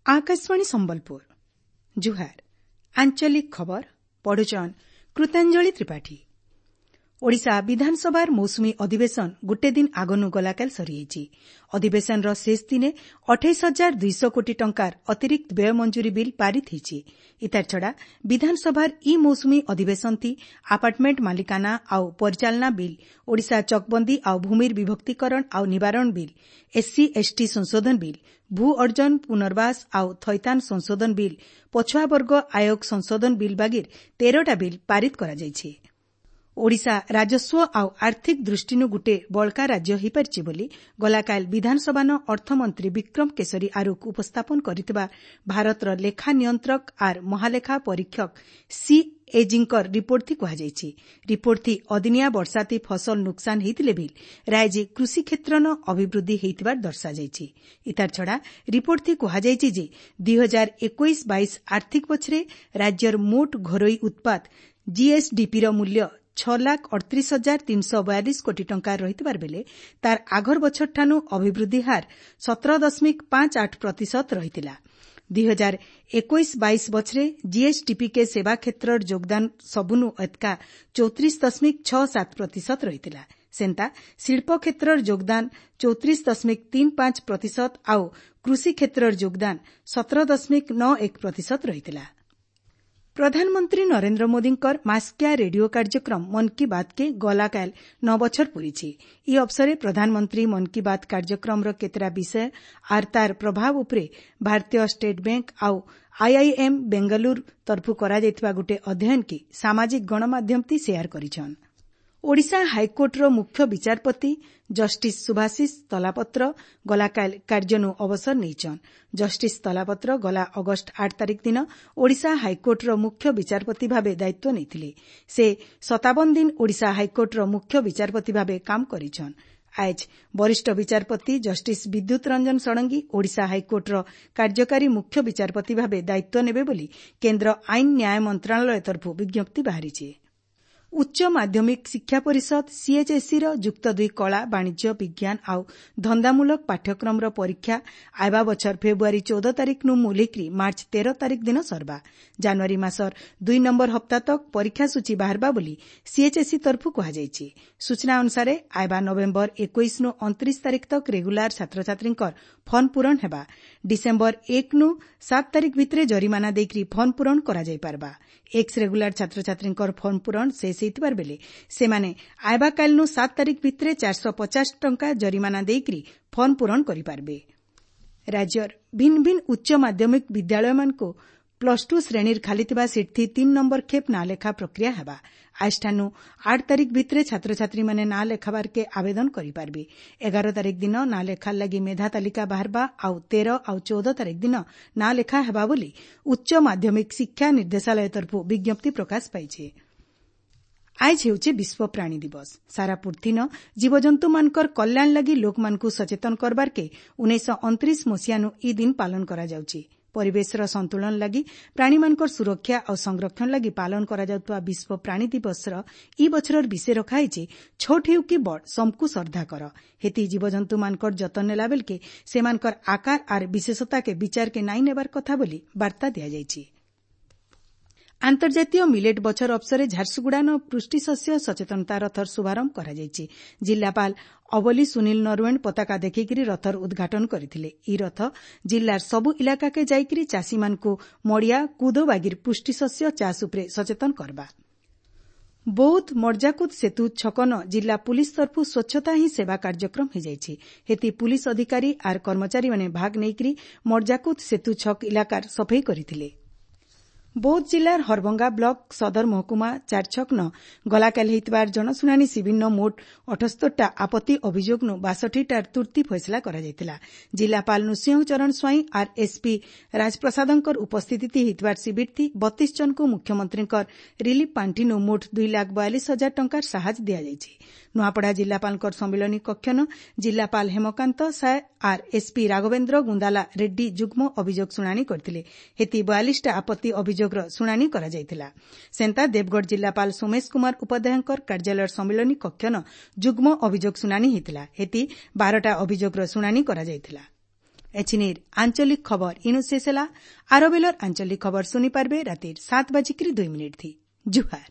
ଆକାଶବାଣୀ ସମ୍ବଲପୁର, ଜୁହାର। ଆଞ୍ଚଳିକ ଖବର ପଢୁଛନ୍ କୃତାଞ୍ଜଳି ତ୍ରିପାଠୀ। ଓଡ଼ିଶା ବିଧାନସଭାର ମୌସୁମୀ ଅଧିବେଶନ ଗୁଟେ ଦିନ ଆଗନୁ ଗଲାକାଲ ସରିଯାଇଛି। ଅଧିବେଶନର ଶେଷ ଦିନେ 28,200 କୋଟି ଟଙ୍କାର ଅତିରିକ୍ତ ବ୍ୟୟ ମଞ୍ଜୁରୀ ବିଲ୍ ପାରିତ ହୋଇଛି। ଇତାର ଛଡ଼ା ବିଧାନସଭାର ଇ ମୌସୁମୀ ଅଧିବେଶନ ଥି ଆପାର୍ଟମେଣ୍ଟ ମାଲିକାନା ଆଉ ପରିଚାଳନା ବିଲ୍, ଓଡ଼ିଶା ଚକବନ୍ଦୀ ଆଉ ଭୂମିର ବିଭକ୍ତିକରଣ ଆଉ ନିବାରଣ ବିଲ୍, ଏସ୍ସି ଏସ୍ଟି ସଂଶୋଧନ ବିଲ୍, ଭୂ ଅର୍ଜନ ପୁନର୍ବାସ ଆଉ ଥଇଥାନ ସଂଶୋଧନ ବିଲ୍, ପଛୁଆବର୍ଗ ଆୟୋଗ ସଂଶୋଧନ ବିଲ୍ ବାଗିର 13ଟା ବିଲ୍ ପାରିତ କରାଯାଇଛି। ଓଡ଼ିଶା ରାଜସ୍ୱ ଆଉ ଆର୍ଥିକ ଦୃଷ୍ଟିନୁ ଗୁଟେ ବଳକା ରାଜ୍ୟ ହୋଇପାରିଛି ବୋଲି ଗଲାକାଲ ବିଧାନସଭାନ ଅର୍ଥମନ୍ତ୍ରୀ ବିକ୍ରମ କେଶରୀ ଆରୁଖ ଉପସ୍ଥାପନ କରିଥିବା ଭାରତର ଲେଖା ନିୟନ୍ତ୍ରକ ଆର୍ ମହାଲେଖା ପରୀକ୍ଷକ ସିଏଜିଙ୍କର ରିପୋର୍ଟଥି କୁହାଯାଇଛି। ରିପୋର୍ଟଥି ଅଦିନିଆ ବର୍ଷାଥି ଫସଲ ନୁକସାନ ହେଇଥିଲେ ବି ରାଇଜେ କୃଷି କ୍ଷେତ୍ରନ ଅଭିବୃଦ୍ଧି ହେଇଥିବାର ଦର୍ଶାଯାଇଛି। ଇତାର ଛଡ଼ା ରିପୋର୍ଟଥି କୁହାଯାଇଛି ଯେ 2021-22 ଆର୍ଥିକ ବଛରେ ରାଜ୍ୟର ମୋଟ ଘରୋଇ ଉତ୍ପାଦ ଜିଏସ୍ଡିପିର ମୂଲ୍ୟ 6,38,342 କୋଟି ଟଙ୍କା ରହିଥିବାର ବେଲେ ତାର ଆଘର ବଛରଠାନୁ ଅଭିବୃଦ୍ଧି ହାର 17.58 ପ୍ରତିଶତ ରହିଥିଲା। 2021-22 ବଛରେ ଜିଏସ୍ଡିପିକେ ସେବା କ୍ଷେତ୍ରର ଯୋଗଦାନ ସବୁନୁ ଏତକା 34.67 ପ୍ରତିଶତ ରହିଥିଲା। ସେନ୍ତା ଶିଳ୍ପ କ୍ଷେତ୍ରର ଯୋଗଦାନ 34.35 ପ୍ରତିଶତ ଆଉ କୃଷି କ୍ଷେତ୍ରର ଯୋଗଦାନ 17.91 ପ୍ରତିଶତ ରହିଥିଲା। ପ୍ରଧାନମନ୍ତ୍ରୀ ନରେନ୍ଦ୍ର ମୋଦୀଙ୍କର ମାସିକିଆ ରେଡିଓ କାର୍ଯ୍ୟକ୍ରମ ମନ୍ କି ବାତ୍କେ ଗଲାକାଲ 9 ବଛର ପୂରିଛି। ଇ ଅବସରେ ପ୍ରଧାନମନ୍ତ୍ରୀ ମନ୍ କି ବାତ୍ କାର୍ଯ୍ୟକ୍ରମର କେତେଟା ବିଷୟ ଆର୍ ତାର ପ୍ରଭାବ ଉପରେ ଭାରତୀୟ ଷ୍ଟେଟ୍ ବ୍ୟାଙ୍କ ଆଉ ଆଇଆଇଏମ୍ ବେଙ୍ଗାଲୁରୁ ତରଫୁ କରାଯାଇଥିବା ଗୁଟେ ଅଧ୍ୟୟନକେ ସାମାଜିକ ଗଣମାଧ୍ୟମଥି ସେୟାର କରିଛନ୍। ଓଡ଼ିଶା ହାଇକୋର୍ଟର ମୁଖ୍ୟ ବିଚାରପତି ଜଷ୍ଟିସ୍ ସୁଭାଶିଷ ତଲାପତ୍ର ଗଲାକାଲ କାର୍ଯ୍ୟନୁ ଅବସର ନେଇଛନ୍। ଜଷ୍ଟିସ୍ ତଲାପତ୍ର ଗଲା ଅଗଷ୍ଟ 8 ତାରିଖ ଦିନ ଓଡ଼ିଶା ହାଇକୋର୍ଟର ମୁଖ୍ୟ ବିଚାରପତି ଭାବେ ଦାୟିତ୍ୱ ନେଇଥିଲେ। ସେ 57 ଦିନ ଓଡ଼ିଶା ହାଇକୋର୍ଟର ମୁଖ୍ୟ ବିଚାରପତି ଭାବେ କାମ କରିଛନ୍। ଆଏଜ୍ ବରିଷ୍ଠ ବିଚାରପତି ଜଷ୍ଟିସ୍ ବିଦ୍ୟୁତ୍ ରଞ୍ଜନ ଷଡ଼ଙ୍ଗୀ ଓଡ଼ିଶା ହାଇକୋର୍ଟର କାର୍ଯ୍ୟକାରୀ ମୁଖ୍ୟ ବିଚାରପତି ଭାବେ ଦାୟିତ୍ୱ ନେବେ ବୋଲି କେନ୍ଦ୍ର ଆଇନ ନ୍ୟାୟ ମନ୍ତ୍ରଣାଳୟ ତରଫରୁ ବିଜ୍ଞପ୍ତି ବାହାରିଛି। ଉଚ୍ଚ ମାଧ୍ୟମିକ ଶିକ୍ଷା ପରିଷଦ ସିଏଚ୍ଏସ୍ଇର ଯୁକ୍ତ ଦୁଇ କଳା, ବାଣିଜ୍ୟ, ବିଜ୍ଞାନ ଆଉ ଧନ୍ଦାମୂଳକ ପାଠ୍ୟକ୍ରମର ପରୀକ୍ଷା ଆଇବା ବଛର ଫେବୃଆରୀ 14 ତାରିଖନୁ ମୁଲିକରି ମାର୍ଚ୍ଚ 13 ତାରିଖ ଦିନ ସରବା। ଜାନୁଆରୀ ମାସର 2 ନମ୍ବର ହପ୍ତା ତକ୍ ପରୀକ୍ଷା ସୂଚୀ ବାହାରବା ବୋଲି ସିଏଚ୍ଏସ୍ଇ ତରଫୁ କୁହାଯାଇଛି। ସୂଚନା ଅନୁସାରେ ଆଇବା ନଭେମ୍ବର 21ନୁ 29 ତାରିଖ ତକ୍ ରେଗୁଲାର ଛାତ୍ରଛାତ୍ରୀଙ୍କର ଫର୍ମ ପୂରଣ ହେବା। ଡିସେମ୍ବର 1ନୁ 7 ତାରିଖ ଭିତରେ ଜରିମାନା ଦେଇକରି ଫର୍ମ ପୂରଣ କରାଯାଇପାରବା। ଏକ୍ସ ରେଗୁଲାର ଛାତ୍ରଛାତ୍ରୀଙ୍କର ଫର୍ମ ପୂରଣ ଶେଷ ହେଇଥିବାର ବେଲେ ସେମାନେ ଆଇବା କାଲିନୁ 7 ତାରିଖ ଭିତରେ 450 ଟଙ୍କା ଜରିମାନା ଦେଇକରି ଫର୍ମ ପୂରଣ କରିପାରବେ। ରାଜ୍ୟର ଭିନ୍ନ ଭିନ୍ନ ଉଚ୍ଚ ମାଧ୍ୟମିକ ବିଦ୍ୟାଳୟମାନଙ୍କୁ ପ୍ଲସ୍ ଟୁ ଶ୍ରେଣୀର ଖାଲିଥିବା ସିଟ୍ଥି 3 ନମ୍ବର ଖେପ୍ ନାଁ ଲେଖା ପ୍ରକ୍ରିୟା ହେବା। ଆଜଠାନୁ 8 ତାରିଖ ଭିତରେ ଛାତ୍ରଛାତ୍ରୀମାନେ ନାଁ ଲେଖାବାରକେ ଆବେଦନ କରିପାରବେ। 11 ତାରିଖ ଦିନ ନାଁ ଲେଖାର ଲାଗି ମେଧା ତାଲିକା ବାହାରବା ଆଉ 13 ଆଉ 14 ତାରିଖ ଦିନ ନାଁ ଲେଖା ହେବା ବୋଲି ଉଚ୍ଚ ମାଧ୍ୟମିକ ଶିକ୍ଷା ନିର୍ଦ୍ଦେଶାଳୟ ତରଫରୁ ବିଜ୍ଞପ୍ତି ପ୍ରକାଶ ପାଇଛି। ଆଏଜ୍ ହେଉଛି ବିଶ୍ୱ ପ୍ରାଣୀ ଦିବସ। ସାରା ପୃଥିନ ଜୀବଜନ୍ତୁମାନଙ୍କର କଲ୍ୟାଣ ଲାଗି ଲୋକମାନଙ୍କୁ ସଚେତନ କରବାରକେ 1929 ମସିହାନୁ ଇ ଦିନ ପାଳନ କରାଯାଉଛି। ପରିବେଶର ସନ୍ତୁଳନ ଲାଗି ପ୍ରାଣୀମାନଙ୍କର ସୁରକ୍ଷା ଆଉ ସଂରକ୍ଷଣ ଲାଗି ପାଳନ କରାଯାଉଥିବା ବିଶ୍ୱ ପ୍ରାଣୀ ଦିବସର ଇ ବଛରର ବିଷୟ ରଖାହେଇଛି, ଛୋଟ ହେଉ କି ବଡ଼, ସମକୁ ଶ୍ରଦ୍ଧା କର। ହେତି ଜୀବଜନ୍ତୁମାନଙ୍କର ଯତନ ନେଲା ବେଲକେ ସେମାନଙ୍କର ଆକାର ଆର୍ ବିଶେଷତାକେ ବିଚାରକେ ନାଇଁ ନେବାର କଥା ବୋଲି ବାର୍ତ୍ତା ଦିଆଯାଇଛି। ଆନ୍ତର୍ଜାତୀୟ ମିଲେଟ୍ ବଛର ଅବସରେ ଝାରସୁଗୁଡ଼ାନ ପୃଷ୍ଟିଶସ୍ୟ ସଚେତନତା ରଥର ଶୁଭାରମ୍ଭ କରାଯାଇଛି। ଜିଲ୍ଲାପାଳ ଅବଲି ସୁନୀଲ ନରୱେଣ୍ଡ ପତାକା ଦେଖେଇକରି ରଥର ଉଦ୍ଘାଟନ କରିଥିଲେ। ଇ ରଥ ଜିଲ୍ଲାର ସବୁ ଇଲାକାକେ ଯାଇକରି ଚାଷୀମାନଙ୍କୁ ମଡ଼ିଆ, କୁଦ ବାଗିର ପୁଷ୍ଟିଶସ୍ୟ ଚାଷ ଉପରେ ସଚେତନ କରବା। ବୌଦ୍ଧ ମର୍ଜାକୁଦ ସେତୁ ଛକନ ଜିଲ୍ଲା ପୁଲିସ୍ ତରଫୁ ସ୍ୱଚ୍ଛତା ହିଁ ସେବା କାର୍ଯ୍ୟକ୍ରମ ହୋଇଯାଇଛି। ହେତି ପୁଲିସ୍ ଅଧିକାରୀ ଆର୍ କର୍ମଚାରୀମାନେ ଭାଗ ନେଇକରି ମର୍ଜାକୁଦ ସେତୁ ଛକ ଇଲାକାର ସଫେଇ କରିଥିଲେ। ବୌଦ୍ଧ ଜିଲ୍ଲାର ହରଭଙ୍ଗା ବ୍ଲକ ସଦର ମହକୁମା ଚାରଛକନ ଗଲାକାଲି ହେଇଥିବାର ଜନଶୁଣାଣି ଶିବିରନ ମୋଟ 78ଟା ଆପତ୍ତି ଅଭିଯୋଗନୁ 62ଟାର ତୁର୍ତ୍ତି ଫଇସଲା କରାଯାଇଥିଲା। ଜିଲ୍ଲାପାଳ ନୃସିଂହ ଚରଣ ସ୍ୱାଇଁ ଆର୍ ଏସ୍ପି ରାଜପ୍ରସାଦଙ୍କର ଉପସ୍ଥିତି ହେଇଥିବାର ଶିବିରଥି 32 ଜଣଙ୍କୁ ମୁଖ୍ୟମନ୍ତ୍ରୀଙ୍କର ରିଲିଫ୍ ପାଣ୍ଠିନୁ ମୋଟ 2,42,000 ଟଙ୍କାର ସାହାଯ୍ୟ ଦିଆଯାଇଛି। ନୂଆପଡ଼ା ଜିଲ୍ଲାପାଳଙ୍କର ସମ୍ମିଳନୀ କକ୍ଷନ ଜିଲ୍ଲାପାଳ ହେମକାନ୍ତ ସାଏ ଆର୍ ଏସ୍ପି ରାଘବେନ୍ଦ୍ର ଗୁନ୍ଦାଲା ରେଡ୍ଡି ଯୁଗ୍ମ ଅଭିଯୋଗ ଶୁଣାଣି କରିଥିଲେ। ହେତି 42ଟା ଆପତ୍ତି ଅଭିଯୋଗର ଶୁଣାଣି କରାଯାଇଥିଲା। ସେନ୍ତା ଦେବଗଡ଼ ଜିଲ୍ଲାପାଳ ସୋମେଶ କୁମାର ଉପାଧ୍ୟାୟଙ୍କର କାର୍ଯ୍ୟାଳୟର ସମ୍ମିଳନୀ କକ୍ଷନ ଯୁଗ୍ମ ଅଭିଯୋଗ ଶୁଣାଣି ହୋଇଥିଲା। ହେତି 12ଟା ଅଭିଯୋଗର ଶୁଣାଣି କରାଯାଇଥିଲା। ଏଛିନିର୍ ଆଞ୍ଚଳିକ ଖବର ଇନୁ ଶେଷ ହେଲା। ଆର ବେଲର ଆଞ୍ଚଳିକ ଖବର ଶୁନି ପାରବେ ରାତିର 7:02 ଥି। ଜୁହାର।